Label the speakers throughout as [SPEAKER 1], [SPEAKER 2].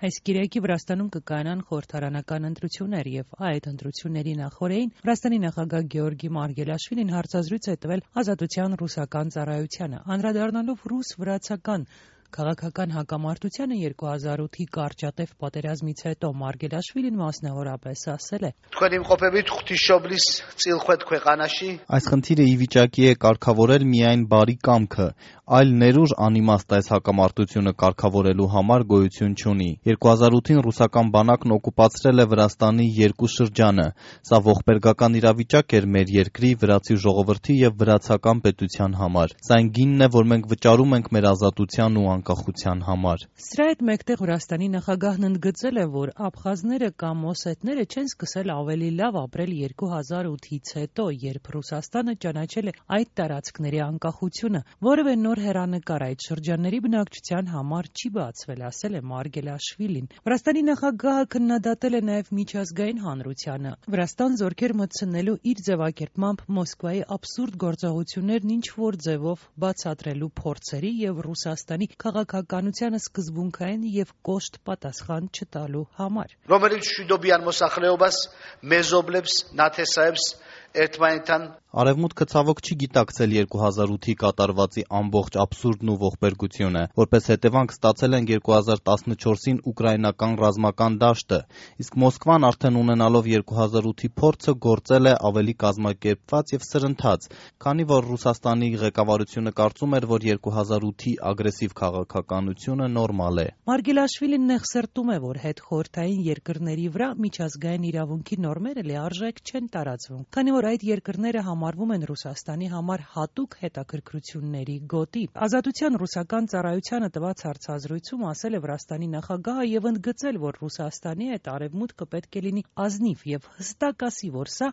[SPEAKER 1] Այս կիրակի Վրաստանում կկայանան խորհրդարանական ընտրություններ եւ այդ ընտրությունների նախօրեին Վրաստանի նախագահ Գեորգի Մարգելաշվիլին հարցազրույց է տվել Ազատության ռուսական ծառայությանը, անդրադառնալով ռուս-վրացական քաղաքական հակամարտությանը 2008-ի կարճատև պատերազմից հետո Մարգելաշվիլին մասնավորապես ասել է.
[SPEAKER 2] Այս խնդիրը ի վիճակի է կարգավորել միայն բարի կամքը, այլ ներուժ անիմաստ այս հակամարտությունը կարգավորելու համար գոյություն չունի։ 2008-ին ռուսական բանակն օկուպացրել է Վրաստանի երկու շրջանը։ Սա ողբերգական իրավիճակ էր մեր երկրի, վրացի ժողովրդի եւ վրացական պետության համար։ Սա այն գինն է, որ մենք վճարում ենք մեր ազատության ու անկախության համար։
[SPEAKER 1] Սրա հետ մեկտեղ Վրաստանի նախագահն ընդգծել է, որ աբխազները կամ օսետները չեն սկսել ավելի լավ ապրել 2008-ից հետո, երբ Ռուսաստանը ճանաչել է այդ տարածքների անկախությունը։ Որևէ նոր հեռանկար այդ շրջանների բնակչության համար չի բացվել, ասել է Մարգելաշվիլին։ Վրաստանի նախագահը քննադատել է նաև միջազգային հանրությանը Վրաստան զորքեր մտցնելու իր ձևակերպմամբ Մոսկվայի աբսուրդ գործողություններն ինչ-որ ձևով բացատրելու փորձերի եւ Ռուսաստանի քաղաքականությանը սկզբունքային եւ կոշտ պատասխան չտալու համար։
[SPEAKER 2] Արևմուտքը ցավոք չի գիտակցել 2008-ի կատարվածի ամբողջ աբսուրդն ու ողբերգությունը, որպես հետևանք ստացել են 2014-ին ուկրաինական ռազմական դաշտը, իսկ Մոսկվան արդեն ունենալով 2008-ի փորձը գործել է ավելի կազմակերպված եւ սրընթաց, քանի որ Ռուսաստանի ղեկավարությունը կարծում էր, որ 2008-ի ագրեսիվ քաղաքականությունը նորմալ է։
[SPEAKER 1] Մարգելաշվիլին նեղսրտում է, որ հետխորհրդային երկրների վրա միջազգային իրավունքի նորմերը լիարժեք չեն տարածվում, քանի որ այդ երկրները համարվում են Ռուսաստանի համար հատուկ հետաքրքրությունների գոտի։ Ազատության ռուսական ծառայությանը տված հարցազրույցում ասել է Վրաստանի նախագահը եւ ընդգծել, որ Ռուսաստանի հետ Արևմուտքը պետք է լինի ազնիվ եւ հստակ ասի, որ սա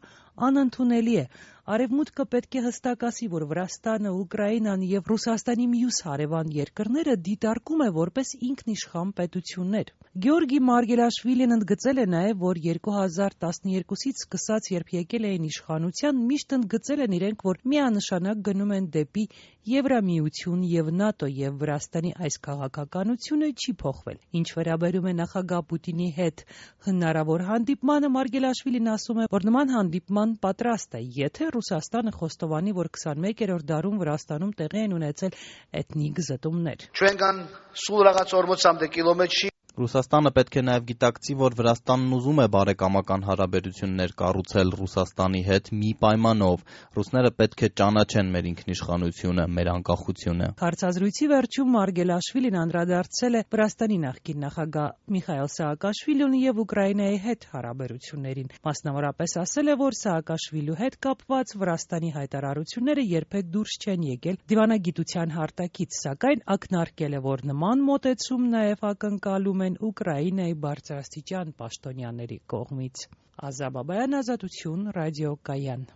[SPEAKER 1] անընդունելի է։ Արևմուտքը պետք է հստակ ասի, որ Վրաստանը, Ուկրաինան եւ Ռուսաստանի մյուս հարևան երկրները դիտարկում է որպես ինքնիշխան պետություններ։ Գեորգի Մարգելաշվիլին ընդգծել է նաեւ, որ 2012-ից սկսած, երբ եկել էին իշխանության, միշտ ընդգծել են իրենք, որ միանշանակ գնում են դեպի Եվրամիություն եւ ՆԱՏՕ եւ Վրաստանի այս քաղաքականությունը չի փոխվել։ Ինչ վերաբերում է նախագահ Պուտինի հետ հնարավոր հանդիպմանը, Մարգելաշվիլին ասում է, որ նման հանդիպման պատրաստ է, եթե Ռուսաստանը խոստովանի, որ 21-րդ դարում Վրաստանում տեղի են ունեցել էթնիկ զտումներ։
[SPEAKER 2] Ռուսաստանը պետք է նաև գիտակցի, որ Վրաստանն ուզում է բարեկամական հարաբերություններ կառուցել Ռուսաստանի հետ մի պայմանով. ռուսները պետք է ճանաչեն մեր ինքնիշխանությունը, մեր անկախությունը։
[SPEAKER 1] Հարցազրույցի վերջում Մարգելաշվիլին անդրադարձել է Վրաստանի նախկին նախագահ Միխայիլ Սաակաշվիլուն եւ Ուկրաինայի հետ հարաբերություններին։ Մասնավորապես ասել է, որ Սաակաշվիլու հետ կապված Վրաստանի հայտարարությունները երբեք դուրս չեն եկել դիվանագիտության հարտակից, սակայն ակնարկել է, որ նման մոտեցում նաև ակնկալում են Ուկրաինայի բարձրաստիճան պաշտոնյաների կողմից։ Ազա Բաբայան, Ազատություն, ռադիոկայան։